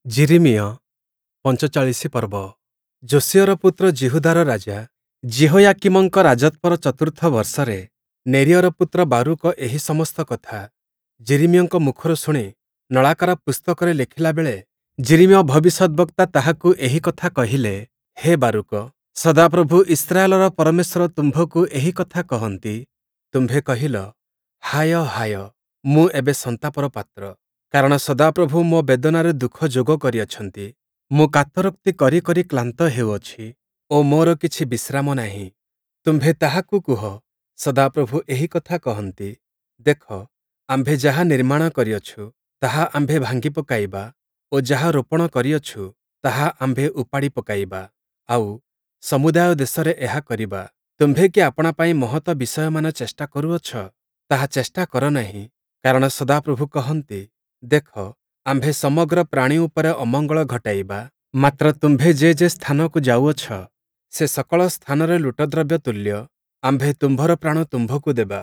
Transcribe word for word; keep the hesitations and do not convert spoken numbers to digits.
ଯିରିମିୟ ପଞ୍ଚଚାଳିଶ ପର୍ବ। ଯୋଶୀୟର ପୁତ୍ର ଯିହୁଦାର ରାଜା ଯିହୋୟାକୀମଙ୍କ ରାଜତ୍ଵର ଚତୁର୍ଥ ବର୍ଷରେ ନେରିୟର ପୁତ୍ର ବାରୂକ ଏହି ସମସ୍ତ କଥା ଯିରିମିୟଙ୍କ ମୁଖରୁ ଶୁଣି ନଳାକାର ପୁସ୍ତକରେ ଲେଖିଲା ବେଳେ ଯିରିମିୟ ଭବିଷ୍ୟଦ୍‌ବକ୍ତା ତାହାକୁ ଏହି କଥା କହିଲେ, ହେ ବାରୂକ, ସଦାପ୍ରଭୁ ଇସ୍ରାଏଲର ପରମେଶ୍ୱର ତୁମ୍ଭକୁ ଏହି କଥା କହନ୍ତି, ତୁମ୍ଭେ କହିଲ, ହାୟ ହାୟ, ମୁଁ ଏବେ ସନ୍ତାପର ପାତ୍ର, କାରଣ ସଦାପ୍ରଭୁ ମୋ ବେଦନାରେ ଦୁଃଖ ଯୋଗ କରିଅଛନ୍ତି। ମୁଁ କାତରୋକ୍ତି କରି କରି କ୍ଳାନ୍ତ ହେଉଅଛି ଓ ମୋର କିଛି ବିଶ୍ରାମ ନାହିଁ। ତୁମ୍ଭେ ତାହାକୁ କୁହ, ସଦାପ୍ରଭୁ ଏହି କଥା କହନ୍ତି, ଦେଖ, ଆମ୍ଭେ ଯାହା ନିର୍ମାଣ କରିଅଛୁ, ତାହା ଆମ୍ଭେ ଭାଙ୍ଗି ପକାଇବା ଓ ଯାହା ରୋପଣ କରିଅଛୁ, ତାହା ଆମ୍ଭେ ଉପାଡ଼ି ପକାଇବା, ଆଉ, ସମୁଦାୟ ଦେଶରେ ଏହା କରିବା। ତୁମ୍ଭେ କି ଆପଣା ପାଇଁ ମହତ ବିଷୟମାନ ଚେଷ୍ଟା କରୁଅଛ? ତାହା ଚେଷ୍ଟା କର ନାହିଁ। କାରଣ ସଦାପ୍ରଭୁ କହନ୍ତି, ଦେଖ, ଆମ୍ଭେ ସମଗ୍ର ପ୍ରାଣୀ ଉପରେ ଅମଙ୍ଗଳ ଘଟାଇବା, ମାତ୍ର ତୁମ୍ଭେ ଯେ ଯେ ସ୍ଥାନକୁ ଯାଉଅଛ, ସେ ସକଳ ସ୍ଥାନରେ ଲୁଟଦ୍ରବ୍ୟ ତୁଲ୍ୟ ଆମ୍ଭେ ତୁମ୍ଭର ପ୍ରାଣ ତୁମ୍ଭକୁ ଦେବା।